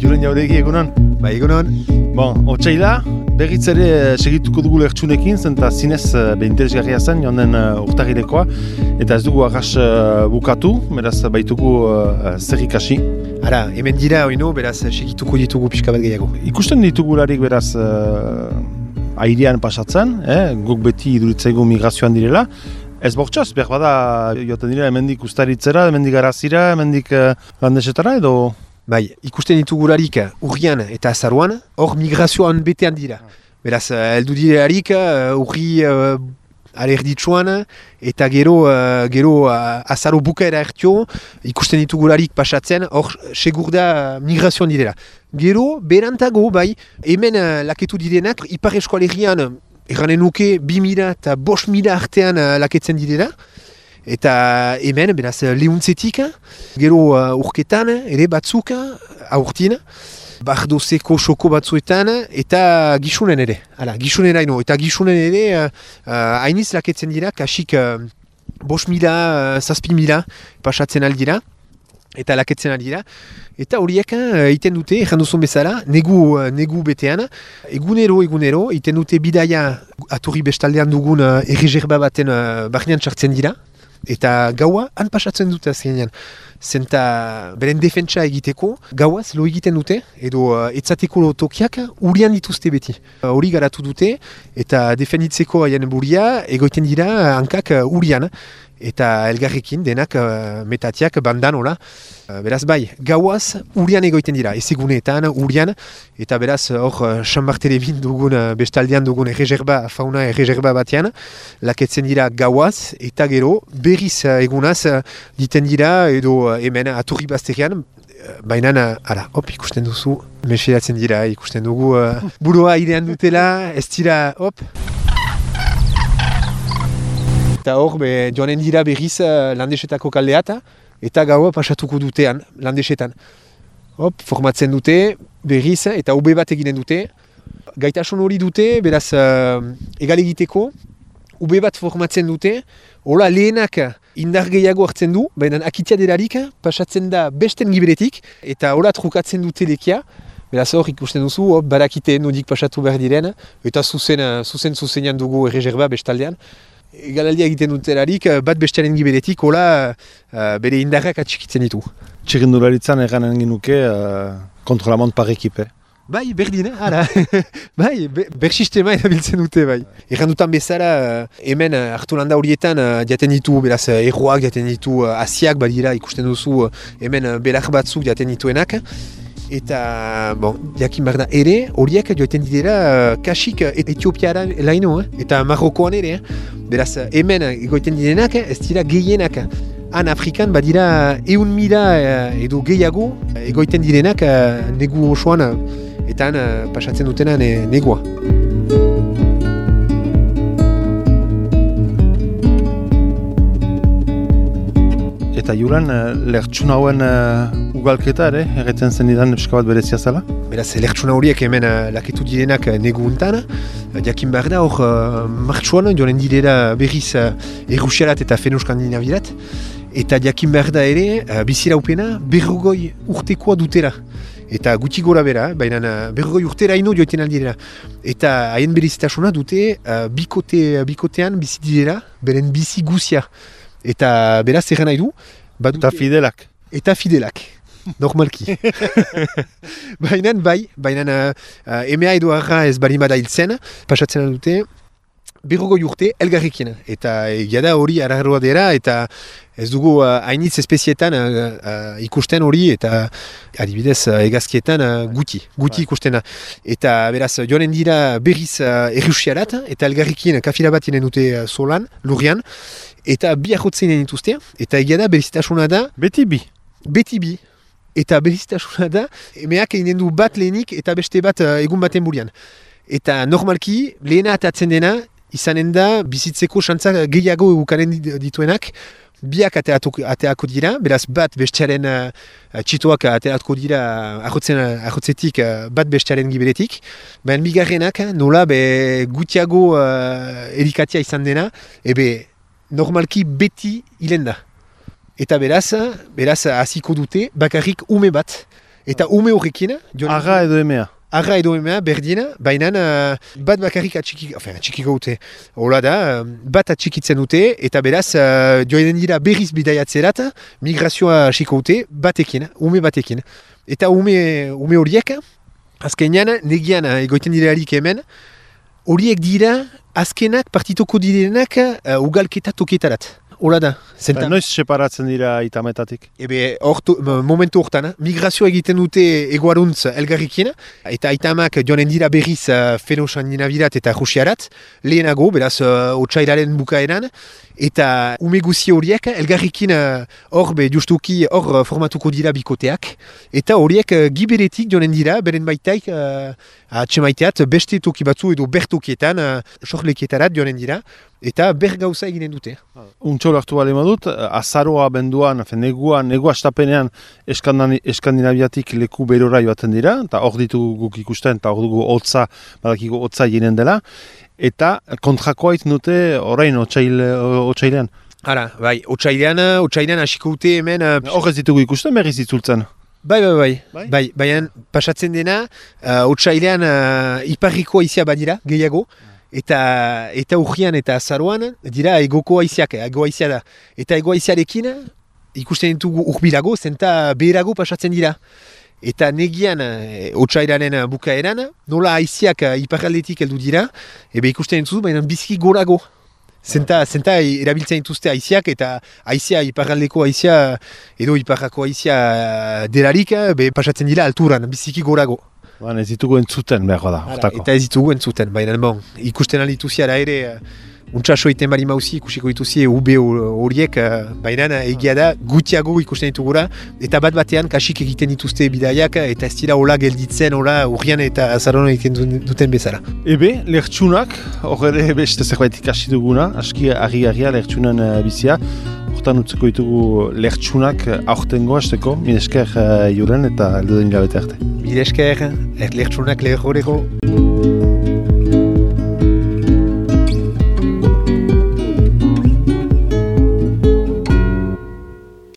Julen jauregi egunon? Bai, egunon. Bon, otsaila, berriz ere segituko dugu lertxunekin, zenta zinez interesgarria zen, joan urtagilekoa, eta ez dugu arras bukatu, beraz baitugu zer ikasi. Ara, hemen dira, oino, beraz segituko ditugu pixka bat gehiago. Ikusten ditugularik beraz airean pasatzen, guk beti iduritzaigu migrazioan direla, ez bortxaz, behar bada joten dira hemendik ustaritzera, hemendik garazira, hemendik landesetara edo... Bai, ikusten ditugularik urrian eta azaruan, hor migrazioan betean dira. Beraz, heldu direlarik urri alerditsuan eta gero azaro bukaera ertio ikusten ditugularik pasatzen, hor segur da migrazioan direla. Gero, berantago, bai, hemen laketu direnak, Ipar Eskualerian erranen nuke 2000 eta 5000 artean laketzen direla. Eta hemen, beraz, lehuntzetik, gero urketan, ere batzuk, aurtin, bardozeko soko batzuetan, eta gisunen ere. Hala, gisunen haino, eta gisunen ere, hainiz laketzen dira, kasik 5.000, 6.000 pasatzen aldira, eta laketzen aldira. Eta horiek iten dute, ezan duzun bezala, negu betean, egunero, iten dute bidaia aturri bestaldean dugun erreserba baten barnean txartzen dira. Eta gaua han pasatzen dute azkenean. Zenta beren defentsa egiteko, gauaz lo egiten dute, edo etzateko tokiak urian dituzte beti. Hori garatu dute, eta defenditzeko haien buria, egoiten dira hankak urian. Eta elgarrekin denak metatiak bandan, hola. Beraz bai, gauaz urian egoiten dira, ezeguneetan, urian. Eta beraz hor San Barthelebin dugun, bestaldean dugun fauna erreserba batean, laketzen dira gauaz, eta gero berriz egunaz diten dira, edo hemen aturri bazterian, baina, ara, hop, ikusten duzu, mesedatzen dira, ikusten dugu, burua airean dutela, ez dira, hop. Eta hor, joanen dira berriz landesetako kaldeata, eta gaua pasatuko dutean, landesetan. Hop, formatzen dute, berriz, eta ube bat eginen dute. Gaitasun hori dute, beraz, egal egiteko, ube bat formatzen dute, hola lehenak indar gehiago hartzen du, baina akitia delarik, pasatzen da besten giberetik, eta hola trukatzen dute lekia. Beraz hor ikusten duzu, barakite nodik pasatu behar diren, eta zuzenean dugu erreserba bestaldean. Egalaldia egiten dutelarik, bat bestearen giberetik, hola bere indarrak atxikitzen ditu. Txirrindularitzan eganen ginuke kontrolamont par ekipe. Bai, berdin, ara. Bai, ber sistema erabiltzen dute, bai. Erran dutan bezala, hemen hartu landa horietan jaten ditu, beraz, erroak jaten ditu, asiak badira ikusten duzu, hemen belar batzuk jaten dituenak. Eta, bon, jakin behar da ere, horiek joiten dira kasik Etiopiara laino, eta Marrokoan ere. Beraz, hemen egoiten direnak, ez dira gehienak. Han Afrikan badira 1.000 edo gehiago egoiten direnak negu osoan, eta han pasatzen dutena negua. Eta Julen, lertxuna hauen ugalketa ere, erretzen zen idan pixka bat berezia zela? Beraz, lertxuna horiek hemen laketu direnak negu untan, jakin behar da hor martxuan joan direla berriz Errusiarat eta Feno-Skandinavirat, eta jakin behar da ere biziraupena 40 urtekoa dutela. Eta guti gora bera, baina 40 urtera ino joiten aldirela. Eta haien berezitasuna dute bikotean bizi direla, beren bizi guzia. Eta beraz erran nahi du. Eta fidelak. Eta fidelak, normalki. Baina emea edo arra ez balimada hiltzen, pasatzen dute, 40 urte elgarrekin. Eta egia hori ararroa dira, eta ez dugu hainitz espezietan ikusten hori, eta adibidez egazkietan guti ikustena. Eta beraz joanen dira berriz Errusiarat, eta elgarrekin kafila bat inen dute solan, lurrian, eta bi ahotzen dituzte, eta egia da berezitasuna da... Beti bi. Eta berezitasuna da, emeak eginen du bat lehenik eta beste bat egun baten burian. Eta normalki, lehena atatzen dena, izanen da bizitzeko xantza gehiago egukaren dituenak, biak ateako dira, beraz bat bestearen txitoak ateako dira ahotzetik bat bestearen giberetik, baina bigarrenak nola gutiago erikatia izan dena, ebe normalki beti hilen da. Eta beraz hasiko dute bakarrik ume bat. Eta ume horrekin... Arra edo emea. Arra edo emea berdina, baina bat bakarrik atxikiko dute. Hola da, bat atxikitzen dute, eta beraz joan dira berriz bidaiatzerat, migrazioa hasiko dute ume batekin. Eta ume horiek, azkenean negian egoiten direarik hemen, horiek dira azkenak partituko direnak ugalketa toketarat. Hola da. Noiz separatzen dira itametatik? Momentu hortan, migrazioa egiten dute egoaruntz elgarrikin, eta itamak joanen dira berriz Fenosan ninabirat eta Rusiarat, lehenago, beraz, otsailaren bukaeran, eta ume guzi horiek elgarrikin justuki hor formatuko dira bikoteak, eta horiek giberetik joanen dira, beren baitaik atxemaiteat beste toki batzu edo bertokietan, sorlekietarat joanen dira, eta ber gauza eginen dute. Untxo hartu bale madut, azaroa benduan, negu astapenean Eskandinaviatik leku berora joaten dira, eta hor ditugu guk ikusten, eta hor dugu badakigu hotza jinen dela, eta kontrakoa iten dute orain otsailean. Hala, bai, otsailean hasiko dute hemen... Hor ez ditugu ikusten, berriz itzultzen. Bai, pasatzen dena, otsailean iparriko haizia badira, gehiago, eta urrian eta azaroan dira egoko haiziak, ego haizia da. Eta ego haiziarekin ikusten ditugu urbilago, zenta beherago pasatzen dira. Eta negian otsailaren bukaeran, nola haiziak iparraldetik heldu dira, ikusten dituzu, baina biziki gorago. Zenta erabiltzen dituzte haiziak, eta haizia iparraldeko haizia edo iparrako haizia delarik, pasatzen dira alturan, biziki gorago. Ez ditugu entzuten behar da, hortako. Eta ez ditugu entzuten, baina ikusten alituziara ere, untsaso iten bali mauzi ikusiko dituzi ube horiek, baina egia da gutiago ikusten ditugura, eta bat batean kasik egiten dituzte bidaiak, eta ez dira hola gelditzen, hola urrian eta azaroan egiten duten bezala. Lertxunak, hor ere beste zerbait ikasi duguna, aski argi-argia lertxunan bizia, hortan utzeko ditugu lertxunak aurtengo hasteko, mil esker juren eta elduden hilabete arte. Mil esker, lertxunak lehoreko.